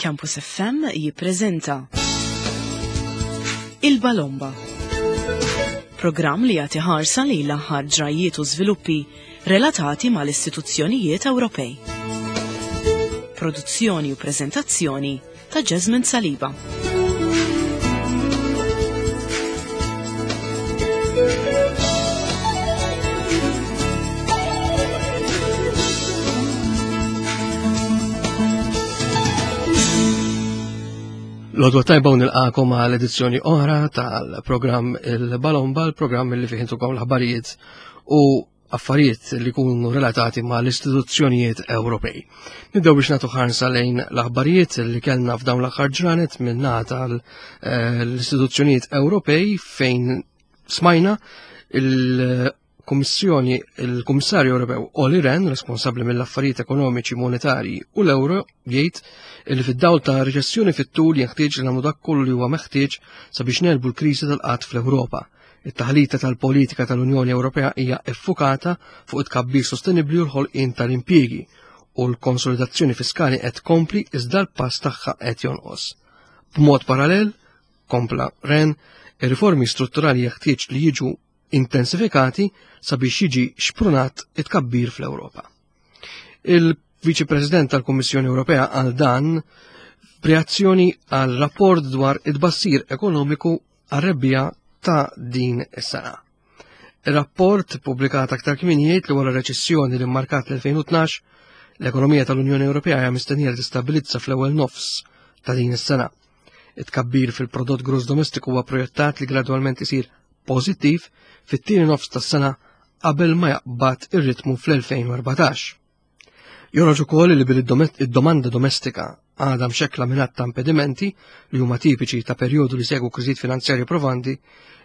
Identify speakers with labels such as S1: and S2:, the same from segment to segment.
S1: Campus FM jippreżenta Il-Balomba. Programm li jagħti ħarsa lejn l-aħħar ġrajjiet u żviluppi relatati mal-istituzzjonijiet Ewropej. Produzzjoni u preżentazzjoni ta' Jasmine Saliba.
S2: L-odwa tajba u nilqakom għal edizzjoni oħra tal-programm il-Balomba, l-programm li fih intukom l-aħbarijiet u affarijiet li jkunu relatati ma' l-istituzzjonijiet Ewropej. Nibdew biex nagħtu ħarsa lejn l-aħbarijiet li kellna f'dawn l-aħħar ġranet minn tal eh, l-istituzzjonijiet Ewropej fejn smajna il-Kummissjoni il-Kummissarju Ewropew Olli Rehn, responsabbli mill-affarijiet ekonomiċi monetarji u l-euro, jgħid li fid-dawl ta' reċessjoni fit-tul jenħtieġ li nagħmlu dak kollu li huwa meħtieġ sabiex nelbu l-kriżi tal-qatt fl-Ewropa. It-taħlita tal-politika tal-Unjoni Ewropea hija effukata fuq it-tkabbir sostenibbli u l-ħolqien tal-impjiegi u l-konsolidazzjoni fiskali qed tkompli iżda l-pass tagħha qed jonqos. B'mod parallel, kompla Ren, ir-riformi strutturali jeħtieġ li jiġu intensifikati sabiex jiġi xprunat it-tkabbir fl-Ewropa. Il-Viċi President tal-Kummissjoni Ewropea għal dan b'reazzjoni għal rapport dwar it-bassir ekonomiku għar-rebbiegħa ta' din is-sena. Ir-rapport pubblikat aktar kmieni jgħid li wara reċessjoni li mmarkat l-2012, l-ekonomija tal-Unjoni Ewropea hija mistennija li tistabilizza fl-ewwel nofs ta' din is-sena. It-tkabbir fil-prodott gross domestiku huwa projettat li gradwalment isir pożittiv fit-tieni nofs tas-sena qabel ma jaqbad ir-ritmu fl-2014. Joħroġ ukoll li billi id-domanda domestika għadha mxekkla minn ta' impedimenti li huma tipiċi ta' perjodu li segwu kriżijiet finanzjarji provanti,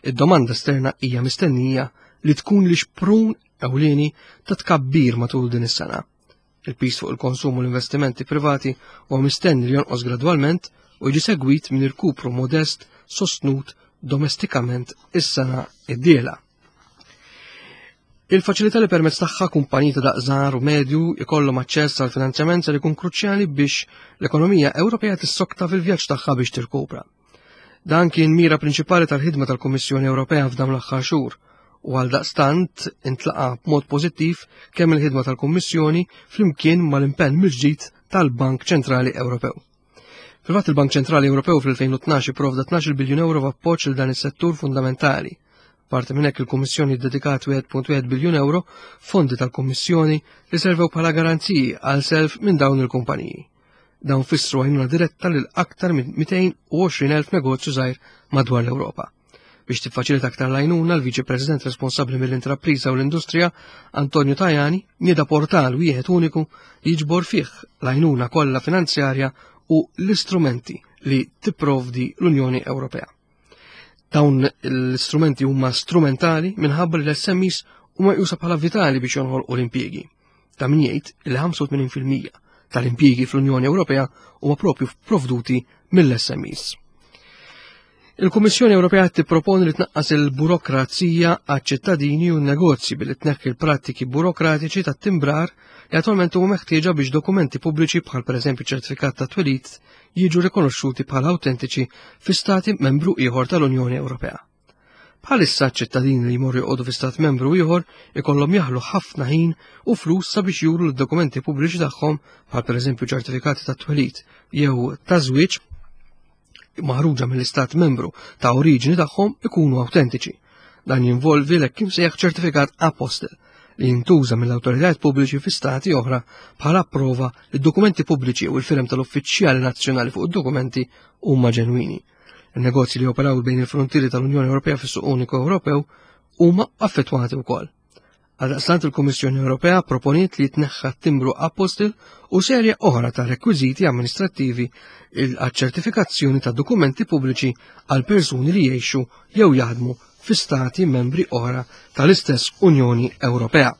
S2: id-domanda esterna hija mistennija li tkun li xprun ewlieni ta' tkabbir matul din is-sena. Il-pis fuq il-konsum u l-investimenti privati huwa mistenni li jonqos gradwalment u jiġi segwit minn irkupru modest sostnut domestikament is-sena id-dieħla. Il-faċilità li permezz tagħha kumpaniji ta' daqs żgħar u medju jkollhom aċċess għal finanzjament ser ikun kruċjali biex l-ekonomija Ewropea tissokta fil-vjaġġ tagħha biex tirkupra. Dan kien mira prinċipali tal-ħidma tal-Kummissjoni Ewropea f'dawn l-aħħar xhur u għal daqstant intlaqa b'mod pożittiv kemm il-ħidma tal-Kummissjoni flimkien mal-impenn mill-ġdid tal-Bank Ċentrali Ewropew. Fil-fatt il-Bank Ċentrali Ewropew fl-2012 ipprovda 12 biljun euro f'appoġġ lil dan is-settur fundamentali. Parti minn hekk il-Kummissjoni ddedikat 1.1 biljun euro fondi tal-Kummissjoni li servew bħala garanziji għal self minn dawn il-kumpaniji. Dawn fissru għajnuna diretta lil aktar minn 220,000 negozju żgħir madwar l-Ewropa. Biex tiffaċilita aktar l-għajnuna, l-Viċi President responsabbli mill-Intrapriża u l-Industrija, Antonio Tajani, nieda portal wieħed uniku li jiġbor fih l-għajnuna kollha finanzjarja u l-istrumenti li tipprovdi l-Unjoni Ewropea. Dawn l-istrumenti huma strumentali minħabba li l-SMEs huma jusa bħala vitali biex jonħolqu l-impjiegi. Ta' min jgħid li 85% tal-impjiegi fl-Unjoni Ewropea huma propju provduti mill-SMEs. Il-Kummissjoni Ewropea tipproponi li tnaqqas il-burokrazija għaċ-ċittadini u n-negozji billi tneħħi l-prattiki burokratiċi tat-timbrar li attualment huma meħtieġa biex dokumenti pubbliċi bħal pereżempju ċertifikat ta' twelid jiġu rikonoxxuti bħala awtentiċi fi stati membru ieħor tal-Unjoni Ewropea. Bħalissa ċittadini li jmorru joqogħdu fi stat membru ieħor ikollhom jaħlu ħafna ħin u flus sabiex juru l-dokumenti pubbliċi tagħhom bħal pereżempju ċertifikati ta' twelid jew ta' żwieġ maħruġa mill-istat membru ta' oriġini tagħhom ikunu awtentiċi. Dan jinvolvi l-hekk imsejjaħ ċertifikat apostel li jintuża mill-awtoritajiet pubbliċi fi stati oħra bħala prova li d-dokumenti pubbliċi u l-firem tal-uffiċjali nazzjonali fuq id-dokumenti huma ġenwini. Il-negozji li operaw bejn il-frontieri tal-Unjoni Ewropea fis-suq uniku Ewropew huma affettwati wkoll. Għaldaqstant il-Kummissjoni Ewropea proponiet li jitneħħa timbru apostil u serje oħra ta' rekwiżiti amministrattivi għaċ-ċertifikazzjoni ta' dokumenti pubbliċi għal persuni li jgħixu jew jaħdmu fi stati membri oħra tal-istess Unjoni Ewropea.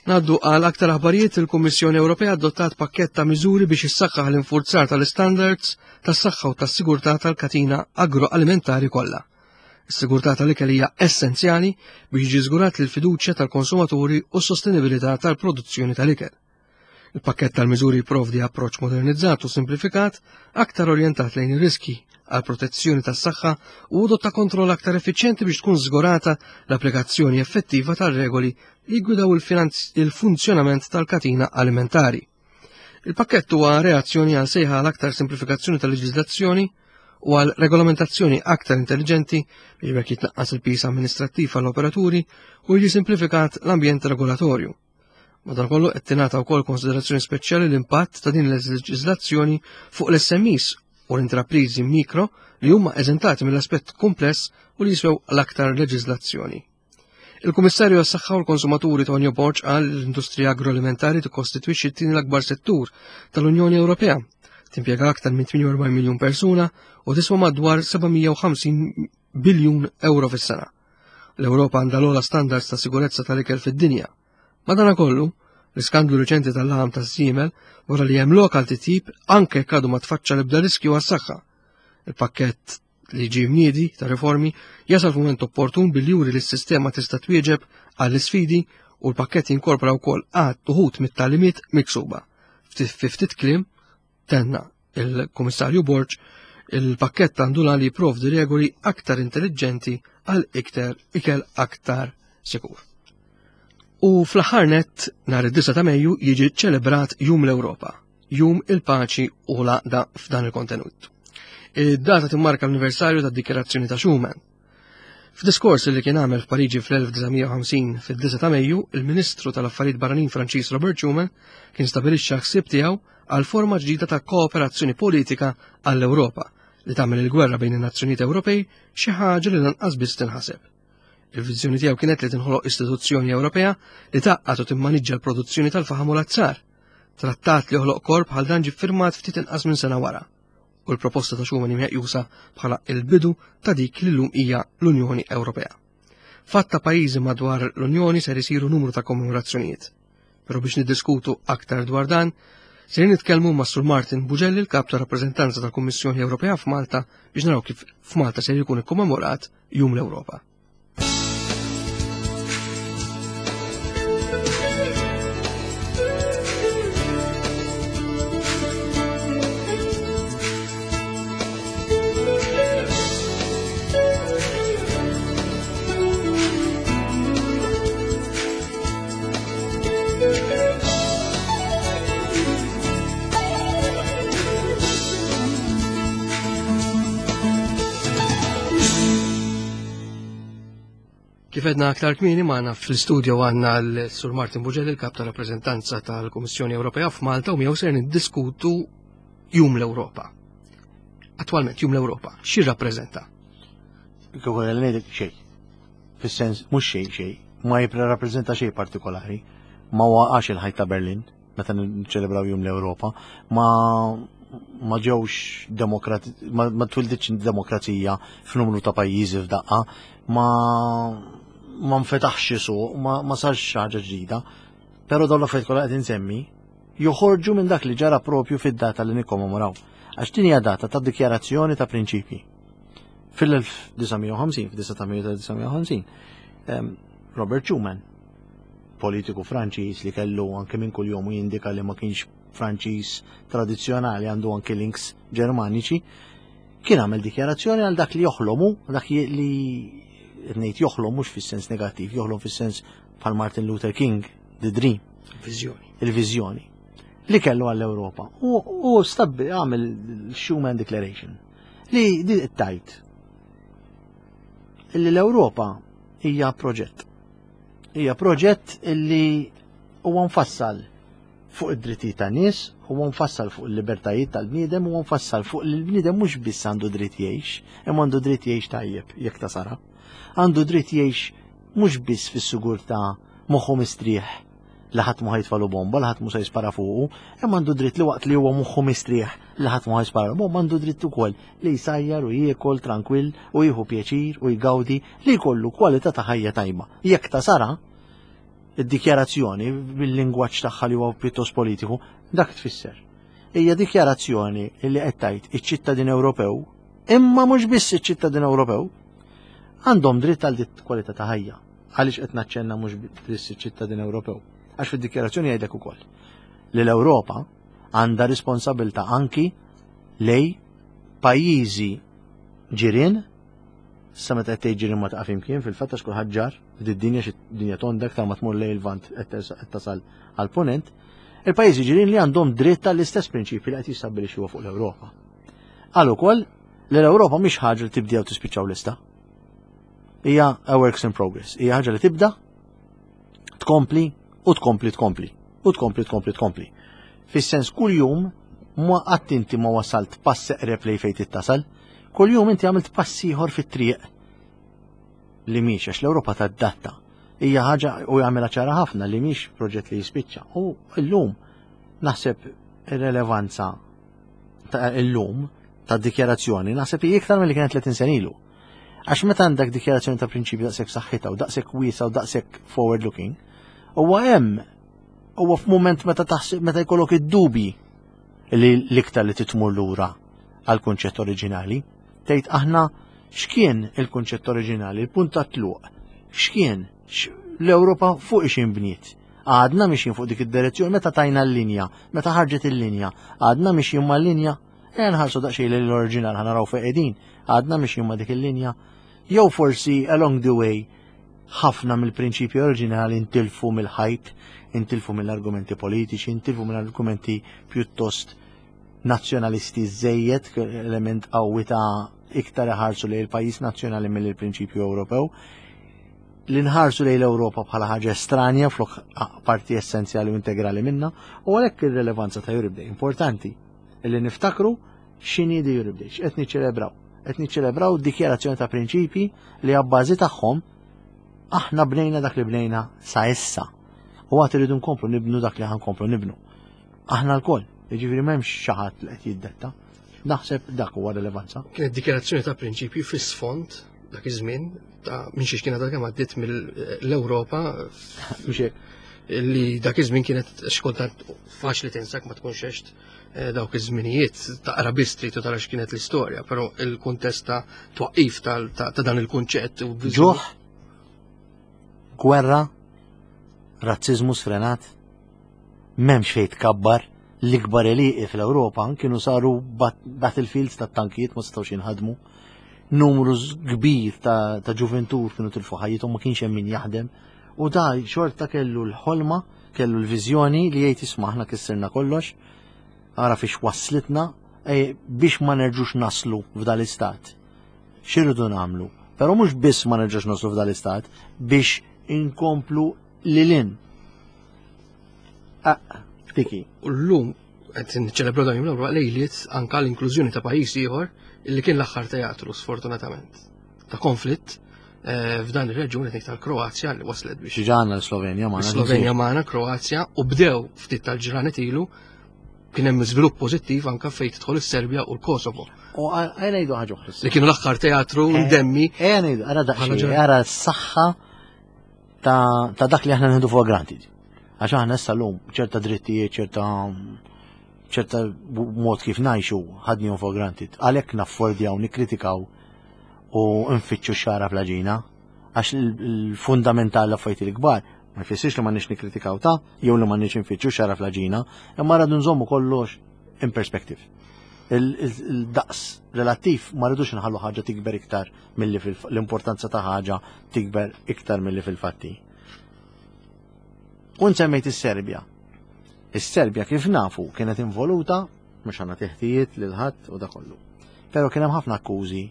S2: Naddu għal aktar aħbarijiet il-Kummissjoni Ewropea adottat pakkett ta' miżuri biex issaħħaħ l-infurzar tal-istandards tas-saħħa u tas-sigurtà tal-katina agroalimentari kollha. Is-sigurtà tal-ikel hija essenzjali biex jiġi żgurat l-fiduċja tal-konsumaturi u s-sostenibilità tal-produzzjoni tal-ikel. Il-pakkett tal-miżuri jipprovdi approċċ modernizzat u simplifikat aktar orjentat lejn ir-riski għal protezzjoni tas-saħħa u għodod ta' kontroll aktar effiċjenti biex tkun żgurata l-applikazzjoni effettiva tar-regoli li jgwidaw il-funzjonament tal-katina alimentari. Il-pakkett huwa reazzjoni għal sejħa għal aktar simplifikazzjoni tal-leġiżlazzjoni u għal regolamentazzjoni aktar intelligenti biex bekk jitnaqqas il-pis amministrattiv għall-operaturi u jiġi simplifikat l-ambjent regolatorju. Madankollu qed tingħata wkoll konsiderazzjoni speċjali l-impatt ta' din il-leġiżlazzjoni fuq l-SMEs u l-intrapriżi mikro li huma eżentati mill-aspett kumpless u li jiswew l-aktar leġiżlazzjoni. Il-Kummissarju għas-Saħħa u l-Konsumaturi Tonio Borg qal li l-industrija agroalimentari tikkostitwixxi t-tieni l-akbar settur tal-Unjoni Ewropea. Timpjega aktar minn 48 miljun persuna u tiswa madwar 750 biljun euro fis-sena. L-Ewropa għandha l-ogħla standards ta' sigurezza tal-ikel fid-dinja. Madanakollu, l-iskandlu riċenti tal-laħam taż-żiemel wara li hemm lokal titjib anke jekk għadu ma tfaċċa l-ebda riskju għas-saħħa. Il-pakkett li ġie mniedi ta' riformi jasal f'mument opportun billi juri li s-sistema tista' twieġeb għall-isfidi u l-pakkett jinkorpora wkoll għadd uħud mit-tagħlimiet miksuba. Fi ftit kliem tenna il-Kummissarju Borg il-pakkett għandu li jipprovdi regoli aktar intelligenti għal iktar ikel aktar sikur. U fl-aħħar nett nhar id-9 ta' Mejju jiġi ċelebrat Jum l-Ewropa, Jum il-Paċi u l-Għaqda f'dan il-kontenut. Id-data timmarka l-anniversarju tad-Dikjarazzjoni ta' Schuman. F'diskors li kien għamel f'Pariġi fl-1950 fid-9 ta' Mejju, il-Ministru tal-Affarijiet Barranin Franċiż Robert Schuman kien stabilixxa ħsieb tiegħu għal forma ġdida ta' kooperazzjoni politika għall-Ewropa li tagħmel il-gwerra bejn in-nazzjonijiet Ewropej xi ħaġa li lanqas biss tinħaseb. Il-viżjoni tiegħu kienet li tinħoloq istituzzjoni Ewropea li tgħaqqad u timmaniġġa l-produzzjoni tal-faħam u l-azzar. Trattat li joħloq korp bħal dan ġie ffirmat ftit inqas minn sena wara. U l-proposta ta' Schuman meqjusa bħala il-bidu ta' dik li llum hija l-Unjoni Ewropea. Fatt ta' pajjiżi madwar l-Unjoni ser isiru numru ta' kommemorazzjonijiet. Però biex niddiskutu aktar dwar dan, ser nitkellmu ma' Sur Martin Bugelli, l-kap ta' rappreżentanza tal-Kummissjoni Ewropea f'Malta, biex naraw kif f'Malta ser jkun ikkommemorat Jum l-Ewropa. Kif edna aktar kmieni magħna fl-istudio għandna l-Sur Martin Buġel, il-kap ta' rappreżentanza tal-Kummissjoni Ewropea f'Malta u miegħu ser niddiskutu Jum l-Ewropa. Attwalment Jum l-Ewropa, xi rappreżenta?
S3: Kieku ngħidlek xejn. Fis-sens mhux xejn xejn, ma jirrappreżenta xejn partikolari. Ma waqax il-ħajt ta' Berlin meta niċċelebraw Jum l-Ewropa, ma ma ġewx demokrati ma, ma twilditx demokrazija f'numru ta' pajjiżi f'daqqa, ma ma nfetaħx suq, ma, ma sarx ħaġa ġdida. Però dawn l-affarijiet kollha qed insemmi joħorġu minn dak li ġara propju fid-data li nikkommemoraw. Għax din hija data ta' dikjarazzjoni ta' prinċipji. Fil-1950, fid-9 ta' Mejju tal-1950, Robert Schuman, politiku Franċiż li kellu anke minn kuljom u jindika li ma kienx Franċiż tradizzjonali għandu anke links Ġermaniċi, kien għamel dikjarazzjoni għal dak li joħlomu, dak li ngħid joħlom mhux fis-sens negattiv, joħlom fis-sens bħal Martin Luther King, the dream.
S2: Viżjoni.
S3: Il-viżjoni li kellu għall-Ewropa. U stabbi għamel Schuman Declaration li di tajt illi l-Ewropa hija proġett. Hija proġett illi huwa mfassal fuq id-drittijiet tan-nies, huwa mfassal fuq il-libertajiet tal-bniedem, huwa mfassal fuq li l-bniedem mhux biss għandu dritt jgħix, imma għandu dritt jgħix tajjeb jekk ta' sara. Għandu dritt jgħix mhux biss fis-sigurtà moħħu mistrieħ li ħadd ma ħajtfalu bomba, li ħadd mhu se jispara fuqu, imma għandu dritt li waqt li huwa moħħu mistrieħ li ħadd ma ħajspara bomba, għandu dritt ukoll li jsajjar u jiekol trankwill u jieħu pjaċir u jgawdi li jkollu kwalità ta' ħajja tajba. Jekk ta' sara, id-dikjarazzjoni bil-lingwaġġ tagħha li huwa pjuttost politiku, dak tfisser. Hija dikjarazzjoni li qed tgħid iċ-ċittadin Ewropew, imma mhux biss iċ-ċittadin Ewropew, għandhom dritt għal dit kwalità ta' ħajja. Għaliex qed naċċenna mhux biss iċ-ċittadin Ewropew? Għax fid-dikjarazzjoni jgħidlek ukoll. li l-Ewropa għandha responsabilità anki lej pajjiżi ġirien Sa meta qed tgħid ġirien ma taqaf imkien fil-fatt għax kulħadd ġar f'did-dinja xi dinja tonda aktar ma tmur lejn il-Lvant qed tasal għall-Punent, il-pajjiżi ġirien li għandhom dritt għall-istess prinċipji li qed jistabbilixxi huwa fuq l-Ewropa. Qal ukoll li l-Ewropa mhix ħaġa li tibdew tispiċċaw lista. Hija a works in progress, hija ħaġa li tibda, tkompli u tkompli tkompli u tkompli tkompli tkompli. Fis-sens kuljum ma qatt inti ma wasalt pass eqreb lejn fejn tittasal, kuljum inti għamilt pass ieħor fit-triq li mhix għax l-Ewropa tadatta. Hija ħaġa u jagħmilha ċara ħafna li mhix proġett li jispiċċa. U llum naħseb ir-relevanza ta' illum ta' dikjarazzjoni naħseb hi iktar milli kienet 30 sena ilu. Għax meta għandek dikjarazzjoni ta' prinċipju daqshekk saħħitha u daqshekk wiesa u daqshekk forward looking, huwa hemm huwa f'mument meta taħseb meta jkollok id-dubji li l-iktar li titmur lura għal kunċett oriġinali. Tgħid aħna x'kien il-kunċett oriġinali, il-punt ta' tluq, x'kien l-Ewropa fuq ix inbniet. Għadna mixjin fuq dik id-direzzjoni meta tajna l-linja, meta ħarġet il-linja, għadna mixjin mal-linja Ejja nħarsu daqsxejn lejn l-oriġinal ħa naraw fejn qegħdin, għadna mixjin ma' dik il-linja. Jew forsi along the way ħafna mill-prinċipji oriġinali intilfu mill-ħajt, intilfu mill-argumenti politiċi, intilfu mill-argumenti pjuttost nazzjonalisti żejjed, element qawwi ta' iktar iħarsu lejn il-pajjiż nazzjonali mill-prinċipju Ewropew. Li nħarsu lejn l-Ewropa bħala ħaġa estranja flok parti essenzjali u integrali minna, u għalhekk ir-relevanza ta' Europe Day importanti. Illi niftakru x'inhi di Europe Day, x'qed niċċelebraw. Qed niċċelebraw dikjarazzjoni ta' prinċipji li abbażi tagħhom aħna bnejna dak li bnejna sa issa. U għad irridu nkomplu nibnu dak li ħankomplu nibnu. Aħna lkoll, jiġifieri m'hemmx xi ħadd li qed jiddetta. Naħseb dak huwa rilevanza.
S2: Kienet dikjarazzjoni ta' prinċipji fis-sfond dak iż-żmien ta' minn xiex kienet kemm għaddiet mill-Ewropa.
S3: Mhux hekk.
S2: Li dak iż-żmien kienet xkultant faċli tinsak ma tkunx għext eh, dawk iż-żminijiet taqra biss trid tara x'kienet l-istorja, però il-kuntest ta' twaqqif ta' dan il-kunċett u
S3: ġuħ, gwerra, razziżmu sfrenat, m'hemmx fejn tkabbar, l-ikbar għelieqi fl-Ewropa kienu saru battlefields ta' tankijiet ma setgħux jinħadmu. Numru kbir ta', ta ġuventur kienu tilfu ħajjithom ma kienx hemm min jaħdem. U da xorta kellu l-ħolma, kellu l-viżjoni li jgħid isma' aħna kissirna kollox, ara fiex waslitna e, biex ma nerġux naslu f'dal-istat. X'irridu nagħmlu? Però mhux biss ma nerġux naslu f'dal-istat biex inkomplu lilin. Ah, diki.
S2: U llum qed niċċelebraw dan jum lejliet anka l-inklużjoni ta' pajjiż ieħor illi kien l-aħħar teatru sfortunatament ta' konflitt eh, f'dan ir-reġjun qed tal-Kroazja li waslet biex.
S3: Ġana l-Slovenja
S2: magħna. Slovenja magħna, Kroazja u bdew ftit tal-ġranet ilu kien hemm żvilupp pożittiv anka fejn tidħol is-Serbja u l-Kosovo.
S3: U għajna ngħidu ħaġa oħra.
S2: Li kienu l-aħħar teatru eh, ndemmi.
S3: Ejja ngħidu, ara daqsxejn, ara s-saħħa ta' dak li aħna nħidu for granted. Għax aħna issa llum ċerta drittijiet, ċerta ċerta mod kif ngħixu ħadnihom for granted. Għalhekk naffordjaw nikkritikaw u nfittxu xara fl-ġina. Għax il-fundamental l-affarijiet il-kbar ma jfissirx li m'għandniex nikkritikaw ta' jew li m'għandniex nfittxu xara fl-ġina, imma rridu nżommu kollox in perspective. Il-daqs relattiv ma rridux nħallu ħaġa tikber iktar milli l-importanza ta' ħaġa tikber iktar milli fil-fatti. U nsemmejt is-Serbja. Is-Serbja kif nafu kienet involuta mhux għandna teħtijiet lil ħadd u da kollu. Però kien hemm ħafna akkużi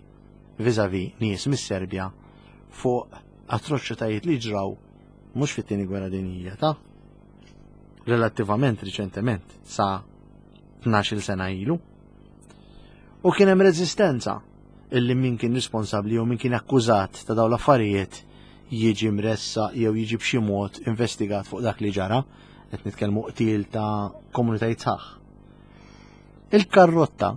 S3: viżavi nies mis-Serbja fuq atroċitajiet li ġraw mhux fit-tieni gwerra dinjija ta' relattivament riċentement sa 12 sena ilu. U kien hemm reżistenza illi min kien responsabbli jew min kien akkużat ta' dawn l-affarijiet jiġi mressaq jew jiġi b'xi mod investigat fuq dak li ġara, qed nitkellmu qtil ta' komunitajiet sħaħ. Il-karrotta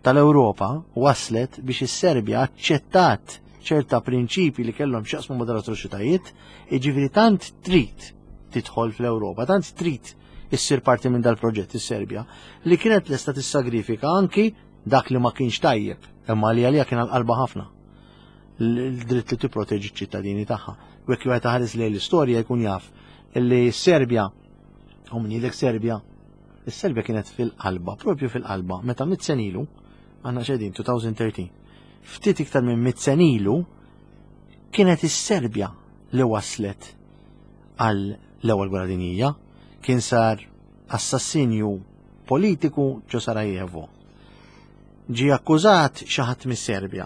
S3: tal-Ewropa waslet biex is-Serbja aċċettat ċerta prinċipi li kellhom x'jaqsmu ma' dal-atroċitajiet, jiġifieri tant trid tidħol fl-Ewropa, tant trid issir parti minn dal-proġett is-Serbja li kienet lesta tissagrifika anki dak li ma kienx tajjeb, imma li għalija kien għal-qalba ħafna l-dritt li tipproteġi ċ-ċittadini tagħha. U jekk wieħed ħares lejn l-istorja jkun jaf li s-Serbja U min jgħidlek Serbja, is-Serbja kienet fil-qalba, propju fil-qalba, meta mit senilu, għandna xedin 2013, ftit iktar minn mit senilu, kienet is-Serbja li waslet għal l-ewwel gwerra dinjija, kien sar assassinju politiku ġo Sarajevo. Ġie akkużat xi ħadd mis-Serbja.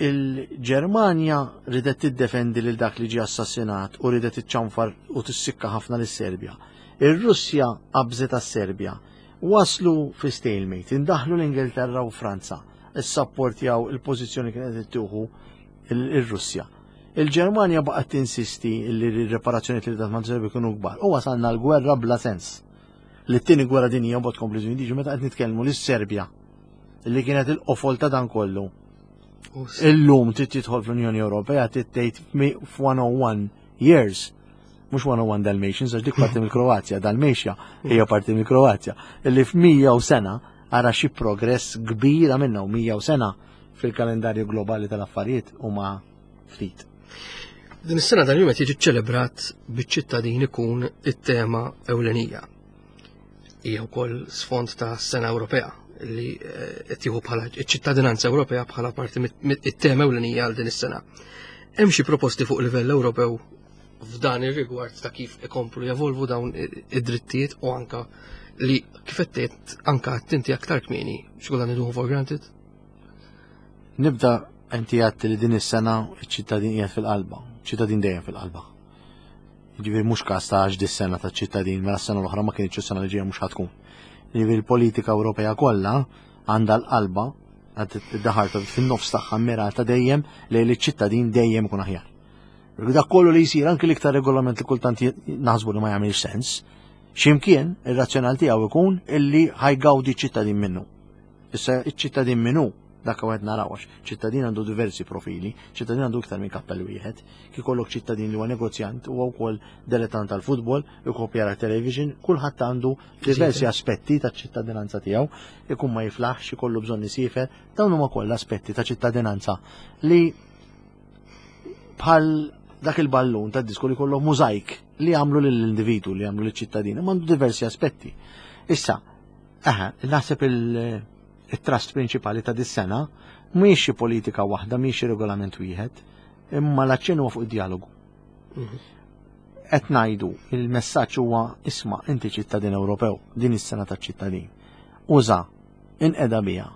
S3: Il-Ġermanja ridet tiddefendi lil dak li ġie assassinat u ridet iċċanfar u tissikka ħafna lis-Serbja. Ir-Russja qabżet għas-Serbja. Waslu fi stalemate, indaħlu l-Ingilterra u Franza, issapportjaw il-pożizzjoni kienet qed tieħu ir-Russja. Il-Ġermanja baqgħet tinsisti li r-reparazzjoni li dat mal-Serbja kienu kbar u wasalna l-gwerra bla sens. Li t-tieni gwerra dinjija mbagħad tkompli żmien meta qed nitkellmu lis-Serbja li kienet il-qofol ta' dan kollu. Illum trid tidħol fl-Unjoni Ewropea trid tgħid f'101 years mhux 101 Dalmatians għax dik parti mill-Kroazja, Dalmatia hija parti mill-Kroazja, illi f'mija u sena ara xi progress kbir għamilna u 100 sena fil-kalendarju globali tal-affarijiet huma ftit.
S2: Din is-sena dan jum qed jiġi ċċelebrat biċ-ċittadin ikun it-tema ewlenija. Hija wkoll sfond ta' sena Ewropea li eh, qed jieħu bħala ċ-ċittadinanza Ewropea bħala parti mit-tema ewlenija għal din is-sena. Hemm xi proposti fuq livell Ewropew f'dan ir-rigward ta' kif ikomplu jevolvu dawn id-drittijiet u anka li kif qed anka tinti aktar kmieni xi niduhu for granted?
S3: Nibda inti għadt li din is-sena iċ-ċittadin qiegħed fil-qalba, ċittadin dejjem fil-qalba. Ġifieri mhux każ ta' għax dis-sena ta' ċittadin, mela s-sena l-oħra ma kienx is-sena li ġejja mhux ħatkun. Ġifieri l-politika Ewropea kollha għandha l-qalba id-daħar ta' fin-nofs tagħha mirata dejjem lejn iċ-ċittadin dejjem ikun aħjar. Dak kollu li jsir anki l-iktar regolament li kultant naħsbu li ma jagħmilx sens, x'imkien ir-razzjonal tiegħu ikun illi ħajgawdi ċittadin minnu. Issa iċ-ċittadin min hu, dak qed naraw għax ċittadin għandu diversi profili, ċittadin għandu iktar minn kappell wieħed. Kif ikollok ċittadin li huwa negozjant huwa wkoll dilettant tal-futbol, ikopjara television, kulħadd għandu diversi aspetti taċ-ċittadinanza tiegħu, ikun ma jiflaħx, ikollu bżonn isiefer, dawn huma kollha aspetti ta' ċittadinanza li bħal dak il-ballun ta' disku li kollu mużajk li għamlu lill-individu, li għamlu lill-ċittadin, imma għandu diversi aspetti. Issa, Aha, naħseb il-trust prinċipali ta' dis-sena mhijiex xi politika waħda, mhijiex xi regolament wieħed, imma l-aċċenn huwa fuq id-dialogu. Mhm. Qed ngħidu il-messaġġ huwa isma' inti ċittadin Ewropew, din is-sena taċ-ċittadin. Uża, inqeda biha.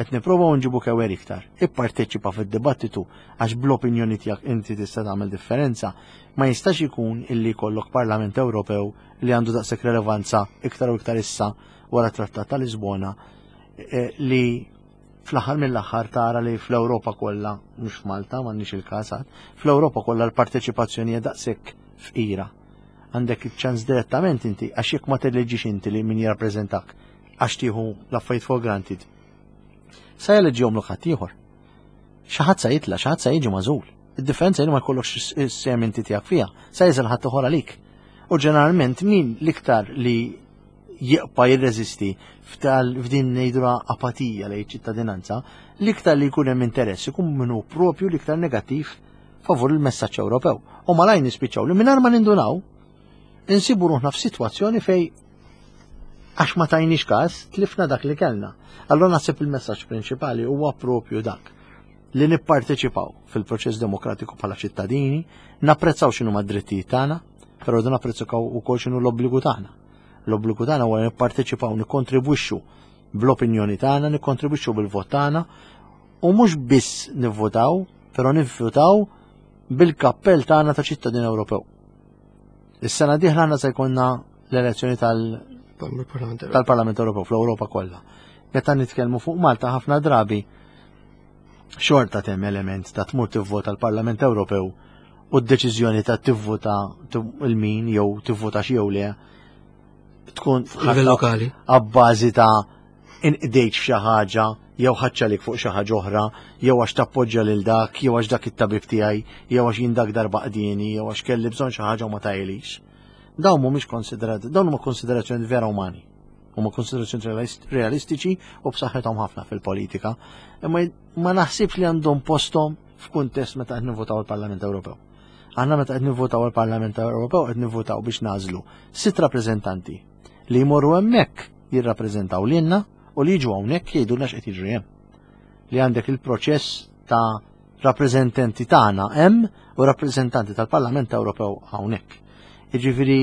S3: Qed nipprovaw nġibu kewer iktar. Ipparteċipa fid-dibattitu għax bl-opinjoni tiegħek inti tista' tagħmel differenza. Ma jistax ikun illi jkollok Parlament Ewropew li għandu daqshekk relevanza iktar u iktar issa wara trattat ta' Lisbona eh, li fl-aħħar mill-aħħar tara li fl-Ewropa kollha, mhux f'Malta, m'għandniex il-każ fl-Ewropa kollha l-parteċipazzjoni hija daqshekk fqira. Għandek iċ-ċans direttament inti għax jekk ma telleġġix inti li min jirrappreżentak għax tieħu l-affarijiet for granted. Sa jeleġġihom l ħadd ieħor. Xi ħadd sa jitla', xi ħadd sa jiġi magħżul. Id-differenza li ma jkollokx is-sehem inti tiegħek fiha, sa jeżel ħadd ieħor għalik. U ġeneralment min l-iktar li jibqa' jirreżisti f'din ngħidula apatija lejn ċittadinanza, l-iktar li jkun hemm interess ikun minnu propju l-iktar negattiv favur il-messaġġ Ewropew. U malajn nispiċċaw li mingħajr ma nindunaw insibu ruħna f'sitwazzjoni fej għax ma tajniex każ tlifna dak li kellna. Allora naħseb il-messaġġ prinċipali huwa propju dak li nipparteċipaw fil-proċess demokratiku bħala ċittadini, napprezzaw x'inhu mad-drittijiet tagħna, però rridu napprezzaw ukoll x'inhu l-obbligu tagħna. L-obbligu tagħna huwa nipparteċipaw, nikkontribwixxu bl-opinjoni tagħna, nikkontribwixxu bil-vot tagħna u mhux biss nivvotaw, però nivvotaw bil-kappell tagħna ta' ċittadin Ewropew. Is-sena dieħla għandna se jkollna l-elezzjoni tal-Parlament Ewropew fl-Ewropa kollha. Meta nitkellmu fuq Malta ħafna drabi xorta temm element ta' tmur tivvota l-Parlament Ewropew u d-deċiżjoni ta' tivvota il-min jew tivvota xi jew le tkun
S2: livell lokali.
S3: Abbażi ta' inqdejt f'xi ħaġa jew ħaċċalik fuq xi ħaġa oħra, jew għax tappoġġja lil dak, jew għax dak it-tabib tiegħi, jew għax jien dak darba qdieni, jew għax kelli bżonn xi ħaġa u ma tajlix. Dawn mhumiex konsiderati, dawn huma konsiderazzjoni vera umani. Huma konsiderazzjoni realistiċi u b'saħħithom ħafna fil-politika, imma ma naħsibx li għandhom posthom f'kuntest meta qed nivvotaw il-Parlament Ewropew. Aħna meta qed nivvotaw għall-Parlament Ewropew qed nivvotaw biex nagħżlu sitt rappreżentanti li jmorru hemmhekk jirrappreżentaw lilna u li jiġu hawnhekk jgħidulna x'qed jiġri hemm. Li għandek il-proċess ta' rappreżentanti tagħna hemm u rappreżentanti tal-Parlament Ewropew hawnhekk. Jiġifieri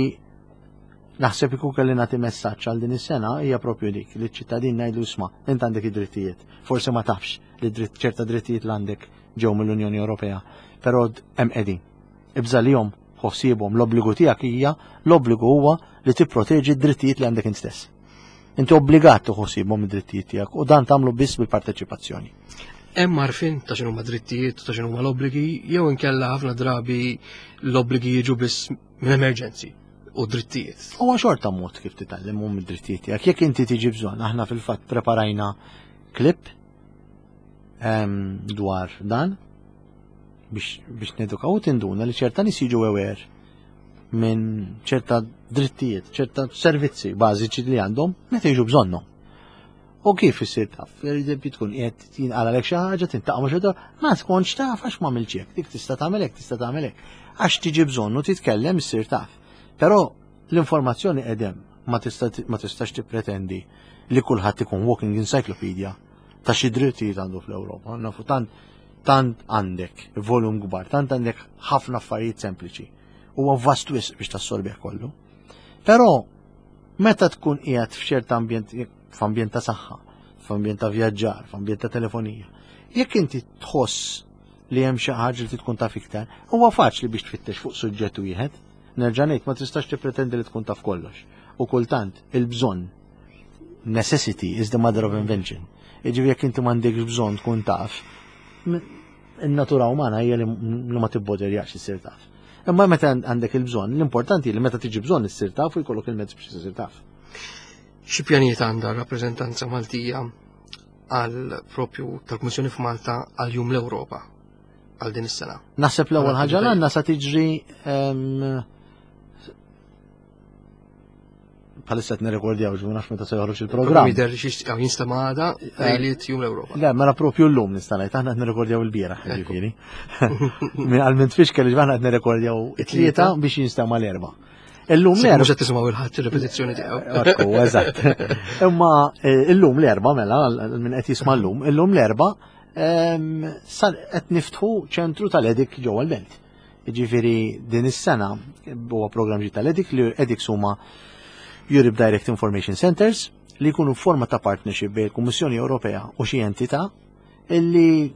S3: naħseb ikun kelli nagħti messaġġ għal din is-sena hija propju dik li ċ-ċittadin ngħidlu isma' int għandek id-drittijiet. Forsi ma tafx li dritt ċerta drittijiet l għandek ġew mill-Unjoni Ewropea, però hemm qegħdin. Ibża' lihom, ħossibhom, l-obbligu tiegħek hija l-obbligu huwa li tipproteġi d-drittijiet li għandek int stess. Inti obbligat tieħu id-drittijiet tiegħek u dan tagħmlu biss bil-parteċipazzjoni.
S2: Hemm għarfien ta' x'inhuma drittijiet u ta' x'inhuma l-obbligi jew inkella ħafna drabi l-obbligi jiġu biss minn emerġenzi u drittijiet.
S3: Huwa xorta mod kif titgħallem mid-drittijiet tiegħek. Jekk inti tiġi bżonn, aħna fil-fatt preparajna klip dwar dan biex, biex nedukaw u tinduna li ċerta nies jiġu aware minn ċerta drittijiet, ċerta servizzi bażiċi li għandhom meta jiġu bżonnhom. U kif issir taf? Per eżempju tkun qiegħed jinqalalek xi ħaġa, tintaqa' ma' xi ma tkunx taf għax ma hekk, dik tista' tagħmel hekk, tista' tagħmel hekk. Għax tiġi bżonnu titkellem issir taf. Però l-informazzjoni qedem ma tistax tippretendi li kulħadd ikun walking encyclopedia ta' xi drittijiet għandu fl-Ewropa. Nafu tant tant għandek volum kbar, tant għandek ħafna affarijiet sempliċi. Huwa vast wisq biex tassorbih kollu. Però meta tkun qiegħed f'ċert ambjent, f'ambjent ta' saħħa, f'ambjent ta' vjaġġar, f'ambjent ta' telefonija, jekk inti tħoss li hemm xi ħaġa li tkun taf iktar, huwa faċli biex tfittex fuq suġġett wieħed. Nerġa' ngħid ma tistax tippretendi li tkun taf kollox. U kultant il-bżonn necessity is the mother of invention. Jiġifieri jekk inti m'għandekx bżonn tkun taf, in-natura umana hija li ma tibboderjax issir taf. Imma meta għandek il-bżonn, l-importanti li meta tiġi bżonn issir taf u jkollok il-mezz biex issir taf.
S2: Xi pjanijiet għandha r-rappreżentanza Maltija għal propju tal-Kummissjoni f'Malta għal Jum l-Ewropa għal din is-sena?
S3: Naħseb l-ewwel ħaġa l-għandna sa tiġri bħalissa qed nirrekordjaw ġu nafx meta se joħroġ il-programm.
S2: Jidher li xi jinstema' għada eh, lejliet jum l-Ewropa.
S3: Le, mela propju llum nista' ngħid aħna qed nirrekordjaw il-bieraħ ġifieri. Għal minn tfix kelli aħna qed nirrekordjaw it-tlieta biex jinstema' l-erba'.
S2: Illum l-erba. Mhux qed tisimgħu il-ħadd ir-repetizzjoni tiegħu.
S3: Ekku, eżatt. Imma eh, illum l-erba' mela minn qed jisma' llum, illum l-erba' ehm, qed niftħu ċentru tal-edik ġewwa l-belt. Jiġifieri din is-sena huwa programm ġdid tal-EDIC li EDICs huma Europe Direct Information Centers li jkunu forma ta' partnership bejn il-Kummissjoni Ewropea u xi entità illi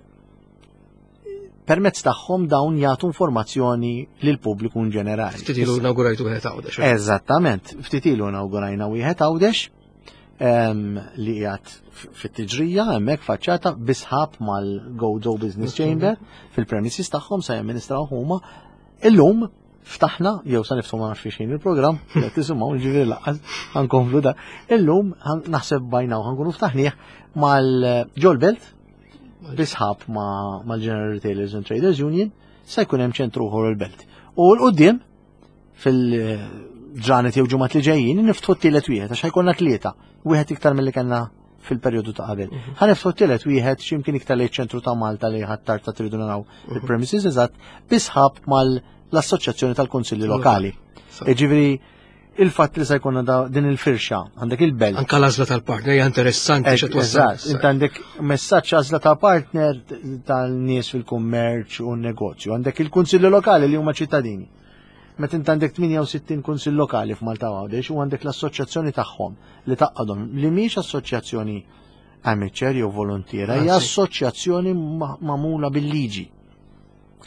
S3: permezz tagħhom dawn jagħtu informazzjoni lil pubbliku in ġenerali.
S2: Ftit ilu inaugurajtu wieħed Għawdex.
S3: Eżattament, ftit ilu inaugurajna wieħed Għawdex li qiegħed fit-tiġrija hemmhekk faċċata bisħab mal-Gozo Business Chamber fil-premises tagħhom se jamministraw huma. Illum ftaħna jew sa niftħu ma nafx xejn il-programm, qed tisimgħu ġifieri laqqas ħankomplu da. Illum naħseb bajnaw ħankunu ftaħnieh mal-Ġol Belt bisħab mal-General Retailers and Traders Union se jkun hemm ċentru ieħor il-belt. U l-qudiem fil-ġranet jew ġimgħat li ġejjin niftħu t-tielet wieħed għax ħajkonna tlieta, wieħed iktar milli kellna fil-perjodu ta' qabel. Mhm. Ħa niftħu t-tielet wieħed x'imkien iktar lejn ċentru ta' Malta li ħattar ta' tridu naraw mhm. il-premises eżatt bisħab mal-Assoċjazzjoni tal-Kunsilli Lokali. Jiġifieri il-fatt li se jkollna din il-firxa, għandek il-belt.
S2: Anka l-għażla tal-partner hija interessanti
S3: xi twassal. Eżatt, int għandek messaġġ għażla ta' partner tal-nies fil-kummerċ u n-negozju, għandek il-kunsilli lokali li huma ċittadini. Meta int għandek 68 kunsill lokali f'Malta Għawdex u għandek l-assoċjazzjoni tagħhom li taqgħodhom li mhix assoċjazzjoni amateur jew volontiera, hija assoċjazzjoni magħmula bil-liġi.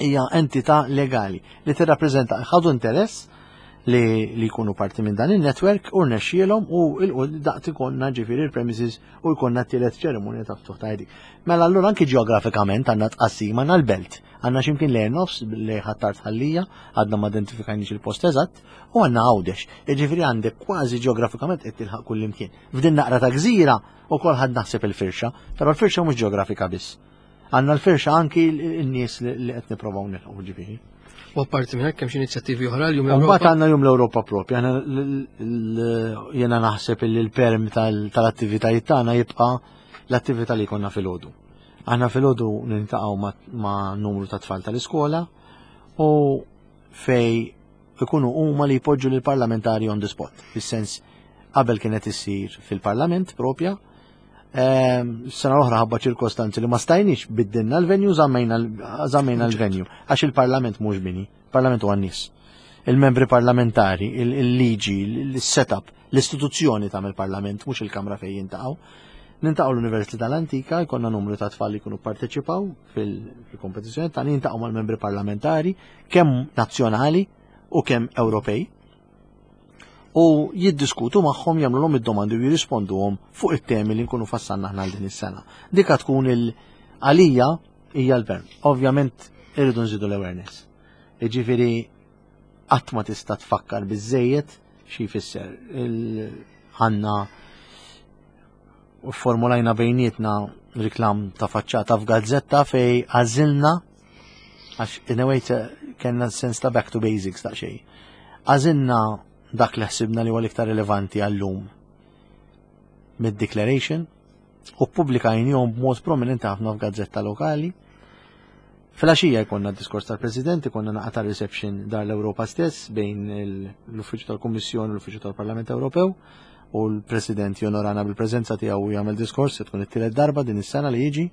S3: Hija entità legali li tirrappreżenta ħadu interess li, li jkunu parti minn dan il-network u rnexxielhom u daqt ikonna ġifieri il-premises u jkollna t-tielet ċerimonja ta' ftuħ ta' Mela allura anki ġeografikament għandna tqassim għandna l-belt, għandna x'imkien lejn nofs lejn Ħ'Attard Ħallija, għadna ma identifikajniex il-post eżatt, u għandna Għawdex. Jiġifieri għandek kważi ġeografikament qed tilħaq kullimkien. F'din naqra ta' gżira ukoll ħadd naħseb il-firxa, però l-firxa mhux ġeografika biss. Għandna l-firxa anki n-nies li qed nipprovaw nilħu ġifieri.
S2: U apparti minn hekk hemm xi inizjattivi oħra l-Jum l-Ewropa.
S3: Mbagħad għandna Jum l-Ewropa propja. Jiena naħseb li l-perm tal-attivitajiet tagħna jibqa' l-attività li jkollna filgħodu. Aħna filgħodu niltaqgħu ma' numru ta' tfal tal-iskola u fej ikunu huma li jpoġġu lill parlamentari on the spot. Fis-sens qabel kienet issir fil-parlament propja, sena l-oħra ħabba ċirkostanzi li ma stajniex biddilna l-venue, żammejna l-venue għax il-parlament mhux bini, il-parlament huwa n-nies. Il-membri parlamentari, il-liġi, il-setup, l-istituzzjoni ta' il-parlament mhux il-kamra fejn jintaqgħu. Nintaqgħu l-Università l-Antika, jkollna numru ta' tfal li jkunu parteċipaw fil-kompetizzjoni ta' nintaqgħu mal-membri parlamentari kemm nazzjonali u kemm Ewropej u jiddiskutu magħhom jagħmluhom id-domandi u jirrisponduhom fuq it-temi li nkunu fassalna aħna għal din is-sena. Dika tkun il għalija hija l-verm. Ovvjament irridu nżidu l-awareness. Jiġifieri qatt ma tista' tfakkar biżejjed xi jfisser. Għandna formulajna bejnietna riklam ta' faċċata f'gazzetta fej għażilna għax in a way kellna sens ta' back to basics ta' xejn. Għażilna dak li ħsibna li huwa l-iktar rilevanti għallum mid-declaration u ppubblikajnihom b'mod prominenti ħafna f'gazzetta lokali. Filgħaxija jkollna diskors tal-President, ikollna naqra ta' reception dar l-Ewropa stess bejn l-Uffiċċju tal-Kummissjoni u l-Uffiċċju tal-Parlament Ewropew u l-President jonorana bil-preżenza tiegħu u jagħmel diskors se tkun it-tielet darba din is-sena li jiġi.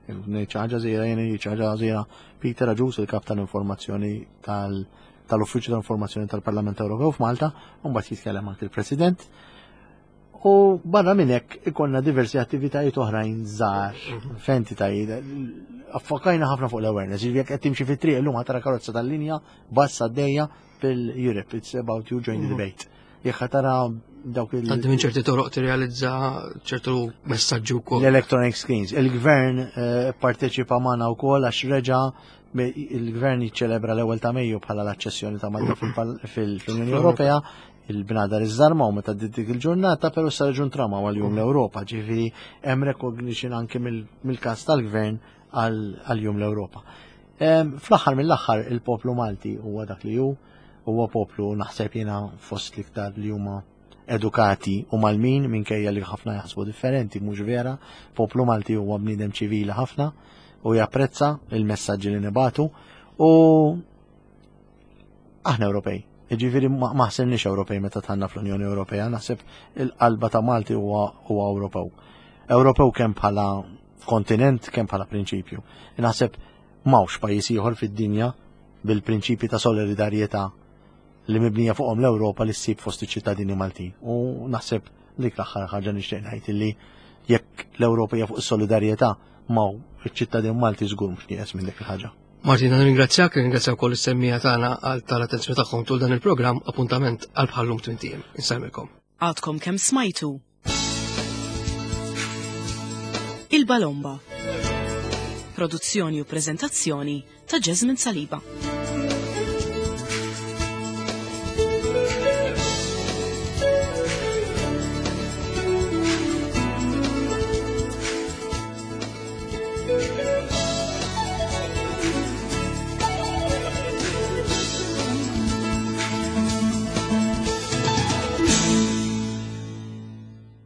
S3: Ngħid xi ħaġa żgħira jien ngħid xi ħaġa żgħira Peter Agius, il-kap tal-informazzjoni tal-Uffiċċju tal-Informazzjoni tal-Parlament Ewropew f'Malta, u mbagħad jitkellem anke il-President. U barra minn hekk ikollna diversi attivitajiet oħrajn żgħar f'entitajiet. Affokajna ħafna fuq l-awareness, jiġifieri jekk qed timxi fit-triq illum tara karozza tal-linja bassa għaddejja fil-Europe, it's about you join the debate. Jekk tara dawk il-
S2: Għaddi minn ċerti toroq tirrealizza ċertu messaġġi wkoll.
S3: L-electronic screens. Il-gvern parteċipa magħna wkoll għax reġa' il-gvern jiċċelebra l-ewwel ta' Mejju bħala l-aċċessjoni ta' Malta fil-Unjoni Ewropea, il-bnadar iżżarmaw meta dik il-ġurnata, però sa reġun trama għal jum l-Ewropa, ġifieri hemm recognition anke mill-każ tal-gvern għal jum l-Ewropa. Fl-aħħar mill-aħħar il-poplu Malti huwa dak li hu, huwa poplu naħseb jiena fost l-iktar li huma edukati u malmin minkejja li ħafna jaħsbu differenti, mhux vera, poplu Malti huwa bniedem ċivili ħafna u japprezza il-messaġġi li nibatu u aħna Ewropej. Jiġifieri ma ħsirniex Ewropej meta tħanna fl-Unjoni Ewropea, naħseb il-qalba ta' Malti huwa Ewropew. Ewropew kemm bħala kontinent, kemm bħala prinċipju. Naħseb m'hawnx pajjiż ieħor fid-dinja bil-prinċipji ta' solidarjetà li mibnija fuqhom l-Ewropa li ssib fost iċ-ċittadini Maltin. U naħseb dik l-aħħar ħaġa nixtieq ngħid illi jekk l-Ewropa hija fuq is-solidarjetà ma' iċ-ċittadin Malti żgur mhux nieqes minn dik il-ħaġa.
S2: Martina, nirringrazzjak, nirringrazzja wkoll is-semmija tagħna għal tal-attenzjoni tagħhom tul dan il-programm, appuntament għal bħallum tmintijiem. Insellmilkom.
S1: Għadkom kemm smajtu Il-Balomba. Produzzjoni u preżentazzjoni ta' Jasmine Saliba.